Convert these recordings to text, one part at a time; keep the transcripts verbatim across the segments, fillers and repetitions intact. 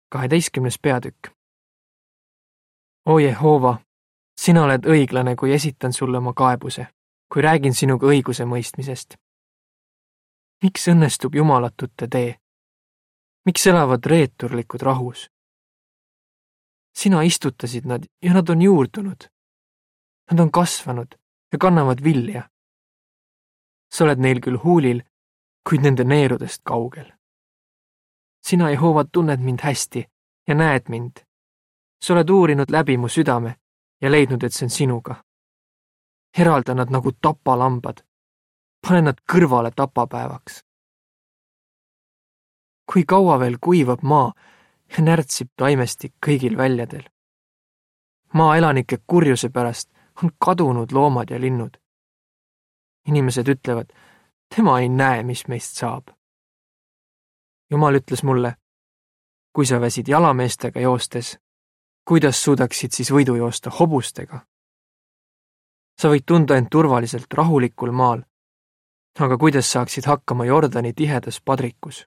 kaheteistkümnes peatükk. O Jehova, sina oled õiglane, kui esitan sulle oma kaebuse, kui räägin sinuga õiguse mõistmisest. Miks õnnestub jumalatute tee? Miks elavad reeturlikud rahus? Sina istutasid nad ja nad on juurdunud. Nad on kasvanud ja kannavad vilja. Sa oled neil küll huulil, kuid nende neerudest kaugel. Sina, Jehova, tunned mind hästi ja näed mind. Sa oled uurinud läbi mu südame ja leidnud, et see on sinuga. Eralda nad nagu tapalambad. Pane nad kõrvale tapapäevaks. Kui kaua veel kuivab maa ja närtsib taimestik kõigil väljadel. Maa elanike kurjuse pärast on kadunud loomad ja linnud. Inimesed ütlevad, tema ei näe, mis meist saab. Jumal ütles mulle, kui sa väsid jalameestega joostes, kuidas suudaksid siis võidu joosta hobustega? Sa võid tunda end turvaliselt rahulikul maal, aga kuidas saaksid hakkama Jordani tihedas padrikus?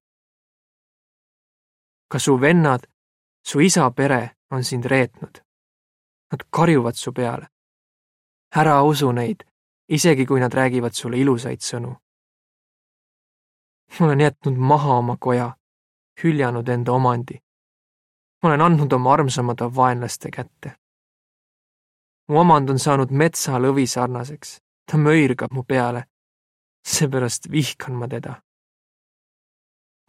Ka su vennad, su isa pere on sind reetnud. Nad karjuvad su peale. Ära usu neid, isegi kui nad räägivad sulle ilusaid sõnu. Ma olen jätnud maha oma koja, hüljanud enda omandi. Ma olen andnud oma armsamad vaenlaste kätte. Mu omand on saanud metsa lõvi sarnaseks. Ta möirgab mu peale. Seepärast vihkan ma teda.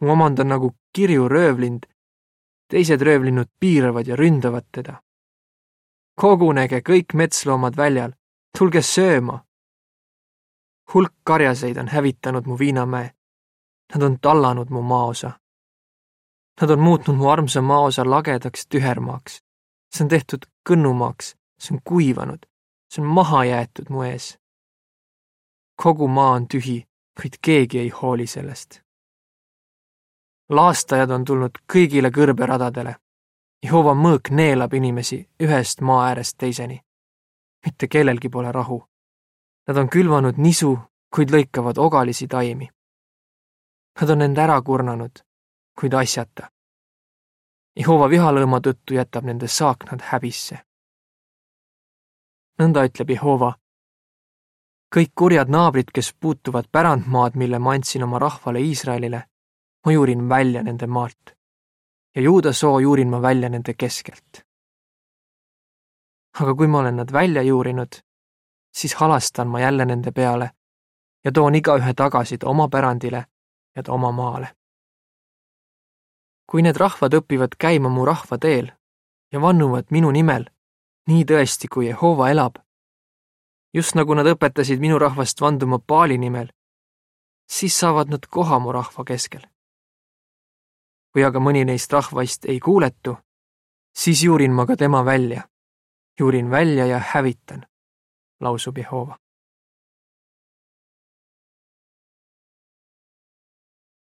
Mu omand on nagu kirju röövlind. Teised röövlinnud piiravad ja ründavad teda. Kogunege kõik metsloomad väljal. Tulge sööma. Hulk karjaseid on hävitanud mu viinamäe. Nad on tallanud mu maaosa. Nad on muutnud mu armsa maaosa lagedaks tühermaaks. See on tehtud kõnnumaaks. See on kuivanud. See on maha jäetud mu ees. Kogu maa on tühi, kuid keegi ei hooli sellest. Laastajad on tulnud kõigile kõrberadadele. Jehova mõõk neelab inimesi ühest maa äärest teiseni. Mitte kellelgi pole rahu. Nad on külvanud nisu, kuid lõikavad ogalisi taimi. Nad on end ära kurnanud, kuid asjata. Jehova vihalõõma tõttu jätab nende saaknad häbisse. Nõnda ütleb Jehova. Kõik kurjad naabrid, kes puutuvad pärandmaad, mille ma andsin oma rahvale Iisraelile, ma juurin välja nende maalt ja Juuda soo juurin ma välja nende keskelt. Aga kui ma olen nad välja juurinud, siis halastan ma jälle nende peale ja toon igaühe tagasi ta oma pärandile ja ta oma maale. Kui need rahvad õpivad käima mu rahva teel ja vannuvad minu nimel, nii tõesti kui Jehova elab, just nagu nad õpetasid minu rahvast vanduma Baali nimel, siis saavad nad koha mu rahva keskel. Kui aga mõni neist rahvaist ei kuuletu, siis juurin ma ka tema välja. Juurin välja ja hävitan, lausub Jehova.